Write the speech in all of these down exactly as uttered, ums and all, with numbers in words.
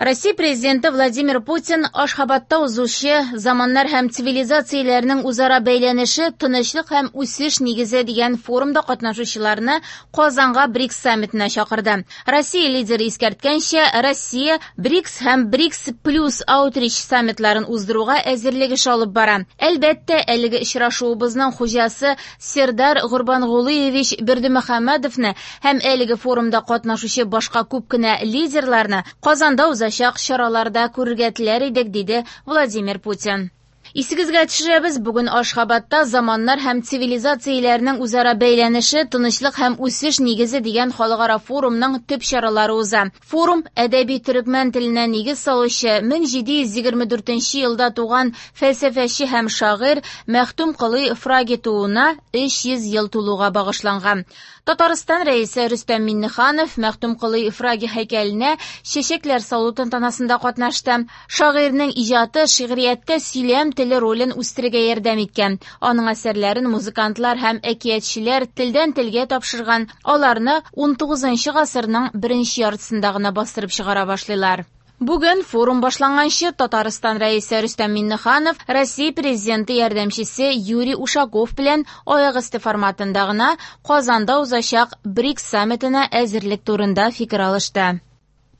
Россия президенты Владимир Путин Ашхабадта узучы «Заманнар һәм цивилизацияләрнең үзара бәйләнеше тынычлык һәм үсеш нигезе» дигән форумда катнашучыларны Казанга БРИКС саммитына чакырды. Россия лидеры искәрткәнчә, Россия БРИКС һәм БРИКС плюс Аутрич саммитларын уздыруга әзерлек эше алып бара. Әлбәттә, әлеге очрашуыбызның хуҗасы Сердар Гурбангулыевич Бердымөхәммәдовны һәм әлеге форумда катнашучы башка күп кенә лидерларны Казанда узачак чараларда күрергә теләр идек, диде Владимир Путин. Исегезгә төшерәбез, бүген Ашхабадта «Заманнар һәм цивилизацияләрнең үзара бәйләнеше, тынычлык һәм үсеш нигезе» дигән халыкара форумның төп чаралары уза. Форум әдәби төрекмән теленә нигез салучы мең җиде йөз егерме дүртенче елда туган фәлсәфәче һәм шагыйрь Мәхтүм Колый Фраги тууына өч йөз ел тулуга багышланган. Татарстан рәисе Рөстәм Миңнеханов Мәхтүм Колый Фраги һәйкәленә чәчәкләр салу тантанасында катнашты. Шагыйрьнең иҗаты шигърияттә сөйләм теле ролен үстерергә ярдәм иткән. Аның әсәрләрен музыкантлар һәм әкиятчеләр телдән телгә тапшырган. Аларны унтугызынчы гасырның беренче яртысында гына бастырып чыгара башлыйлар. Бүген форум башланганчы Татарстан рәисе Рөстәм Миңнеханов Россия президенты ярдәмчесе Юрий Ушаков белән аяк өсте форматында гына Казанда узачак БРИКС саммитына әзерлек турында фикер алышты.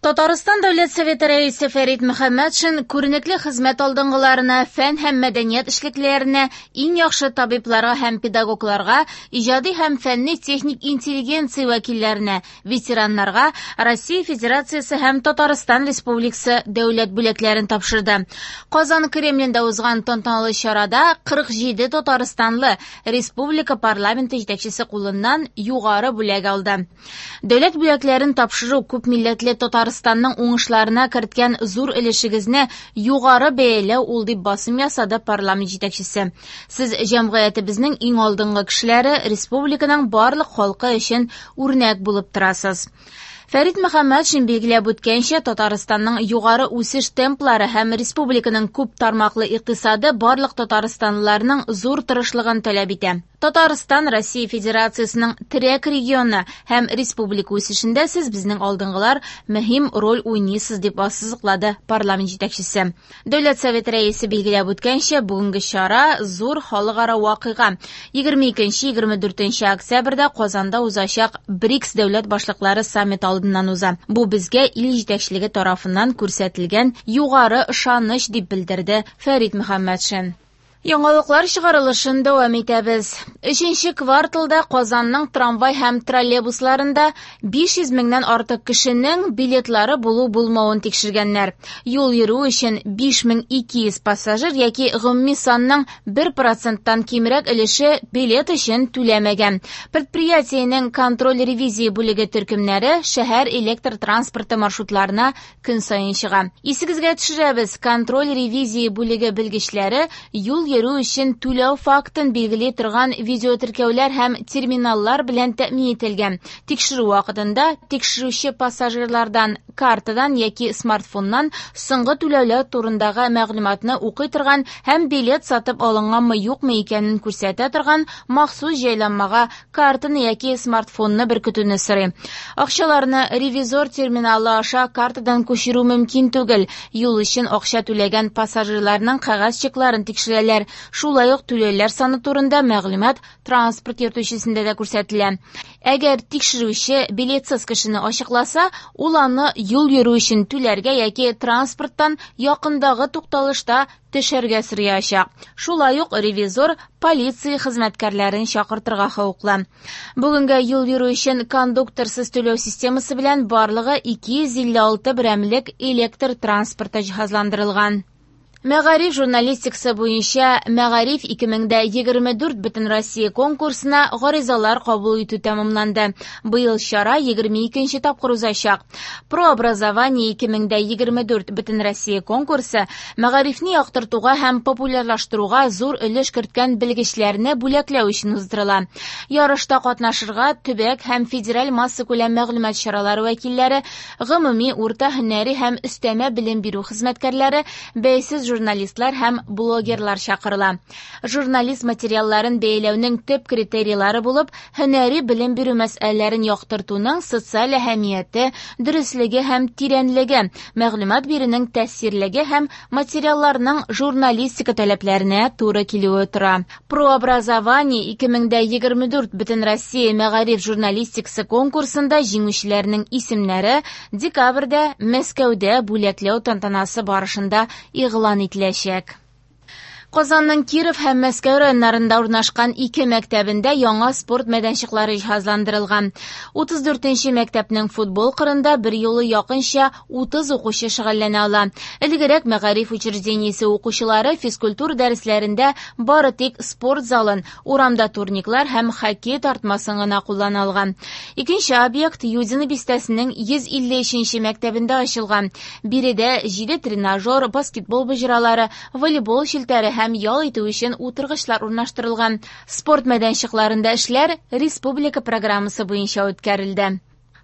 Татарстан Дәүләт Советы рәисе Фәрит Мөхәммәтшин күренекле хезмәт алдынгыларына, фән һәм мәдәният эшлеклеләренә, иң яхшы табибларга һәм педагогларга, иҗади һәм фәнни-техник интеллигенция вәкилләренә, ветераннарга Россия Федерациясе һәм Татарстан Республикасы дәүләт бүләкләрен тапшырды. Казан Кремлендә узган тантаналы чарада кырык җиде татарстанлы республика парламенты җитәкчесе кулыннан югары бүләк алды. Дәүләт бүләкләрен тапшыру күп милләтле Татарстанның уңышларына керткән зур өлешегезне югары бәяләү ул, дип басым ясады парламент җитәкчесе. Сез җәмгыятебезнең иң алдынгы кешеләре, республиканың барлык халкы өчен үрнәк булып торасыз. Фәрит Мөхәммәтшин билгеләп үткәнчә, Татарстанның югары үсеш темплары һәм республиканың күп тармаклы икътисады барлык татарстанлыларның зур тырышлыгын таләп итә. Татарстан Россия Федерациясының терәк регионы һәм республика үсешендә сез безнең алдынгылар мөһим роль уйныйсыз, дип ассызыклады парламент җитәкчесе. Дәүләт Советы рәисе билгеләп үткәнчә, бүгенге чара зур халыкара вакыйга. Егерме икенче, егерме дүртенче октябрьдә Казанда узачак БРИКС дәүләт башлыклары саммиты алдыннан уза. Бу безгә ил җитәкчелеге тарафыннан күрсәтелгән югары ышаныч, дип белдерде Фәрит Мөхәммәтшин. Яңалыклар чыгарылышын дәвам итәбез. Өченче кварталда Казанның трамвай һәм троллейбусларында биш йөз меңнән артык кешенең билетлары булу-булмавын тикшергәннәр. Юл йөрү өчен биш мең ике йөз пассажир яки гомуми санның бер проценттан кимрәк өлеше билет өчен түләмәгән. Предприятиенең контроль ревизия бүлеге төркемнәре шәһәр электр транспорты маршрутларына көн саен чыга. Исегезгә төшерәбез, контроль ревизия бүлеге белгечләре юл йөрү өчен түләү фактын билгели торган видеотеркәүләр һәм терминаллар белән тәэмин ителгән. Тикшерү вакытында тикшерүче пассажирлардан картадан яки смартфоннан соңгы түләүләр турындагы мәгълүматны укый торган һәм билет сатып алынганмы юкмы икәнен күрсәтә торган махсус җайланмага картаны яки смартфонны беркетүне сорый. Акчаларны ревизор терминалы аша картадан күчерү мөмкин түгел. Юл өчен акча түләгән пассажирларның кәгазь чекларын тикшерәләр. Шулай ук түләүләр саны турында мәгълүмат транспорт йөртүчесендә дә күрсәтелә. Әгәр тикшерүче билетсыз кешене ачыкласа, ул аны юл йөрү өчен түләргә яки транспорттан якындагы тукталышта төшәргә сораячак. Шулай ук ревизор полиция хезмәткәрләрен чакыртырга хокуклы. Бүгенгә юл йөрү өчен кондукторсыз түләү системасы белән барлыгы ике йөз илле алты берәмлек электр транспорты җиһазландырылган. Мәгариф журналистикасы буенча Мәгариф ике мең дә егерме дүрт Бөтенроссия конкурсына гаризалар кабул итү тәмамланды. Быел чара егерме икенче тапкыр узачак. Прообразование ике мең дә егерме дүрт Бөтенроссия конкурсы мәгарифне яктыртуга һәм популярлаштыруга зур өлеш керткән белгечләрне бүләкләү өчен уздырыла. Ярышта катнашырга төбәк һәм федераль массакүләм мәгълүмат чаралары вәкилләре, гомуми урта һөнәри һәм өстәмә белем бирү хезмәткәрләре, бәйсез Журналистлар һәм блогерлар чакырыла. Журналист материалларын бәяләүнең төп критерийлары булып һөнәри белем бирү мәсьәләләрен яктыртуның социаль әһәмияте, дөреслеге һәм тирәнлеге, мәгълүмат бирүнең тәэсирлеге һәм материалларның журналистика таләпләренә туры килүе тора. Прообразование ике мең дә егерме дүрт Бөтенроссия мәгариф журналистикасы конкурсында җиңүчеләрнең исемнәре декабрьдә Мәскәүдә бүләкләү тантанасы барышында игълан ителәчәк. Казанның Киров һәм Мәскәү районнарында урнашкан ике мәктәбендә яңа спорт мәйданчыклары җиһазландырылган. Утыз дүртенче мәктәпнең футбол кырында бер юлы якынча утыз укучы шөгыльләнә ала. Элегрәк мәгариф учреждениесе укучылары физкультура дәресләрендә бары тик спорт залын, урамда турниклар һәм хоккей тартмасын гына куллана алган. Икенче объект Юдино бистәсенең йөз илле өченче мәктәбендә ачылган. Биредә җиде тренажер, баскетбол боҗралары, волейбол челтәре һәм ял итү өчен утыргычлар урнаштырылган. Спорт мәйданчыкларында эшләр республика программасы буенча үткәрелде.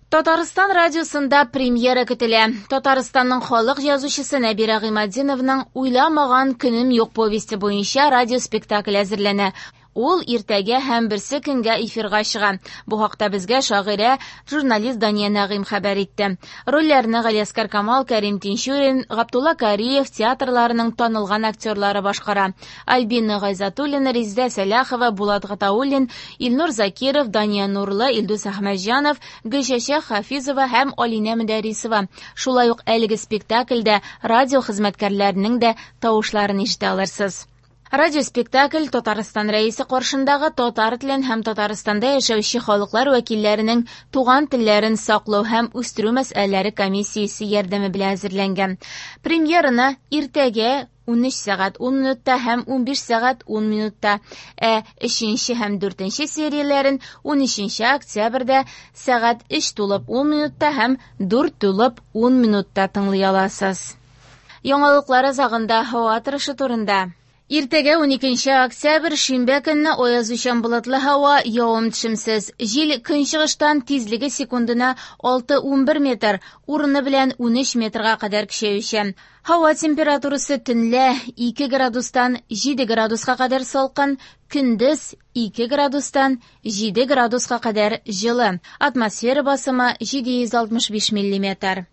Татарстан радиосында премьера көтелә. Татарстанның халык язучысы Нәбирә Гыйматдинованың Уйламаган көнем юк повесте буенча радиоспектакль әзерләнә. Ул иртәгә һәм берсе көнгә эфирга чыга. Бу хакта безгә шагыйрә, журналист Дания Нәгыйм хәбәр итте. Рольләрне Галиәсгар Камал, Кәрим Тинчурин, Габдулла Кариев театрларының танылган актерлары башкара. Альбина Гайзатуллина, Резидә Сәлахова, Булат Гатауллин, Илнур Закиров, Дания Нурлы, Илдус Әхмәтҗанов, Гөлчәчәк Хафизова һәм Алинә Мөдәррисова. Шулай ук әлеге спектакльдә радио хезмәткәрләренең дә тавышларын ишетә алырсыз. Радиоспектакль Татарстан Рәисе каршындагы татар телен һәм Татарстанда яшәүче халыклар вәкилләренең туган телләрен саклау һәм үстерү мәсьәләләре комиссиясе ярдәме белән әзерләнгән. Премьераны иртәгә унөч сәгать ун минутта һәм унбиш сәгать ун минутта, ә өченче һәм дүртенче серияләрен унөченче октябрьдә сәгать өч тулып ун минутта һәм дүрт тулып ун минутта тыңлый аласыз. Яңалыклар азагында һава торышы турында. Иртәгә уникенче октябрь шимбә көнне аязучан болытлы һава, явым-төшемсез. Җил көнчыгыштан тизлеге секундына алты унбер метр, урыны белән унөч метрга кадәр көчәючән. Һава температурасы төнлә ике градустан җиде градуска кадәр салкын, көндез ике градустан җиде градуска кадәр җылы. Атмосфера басымы җиде йөз алтмыш биш миллиметр.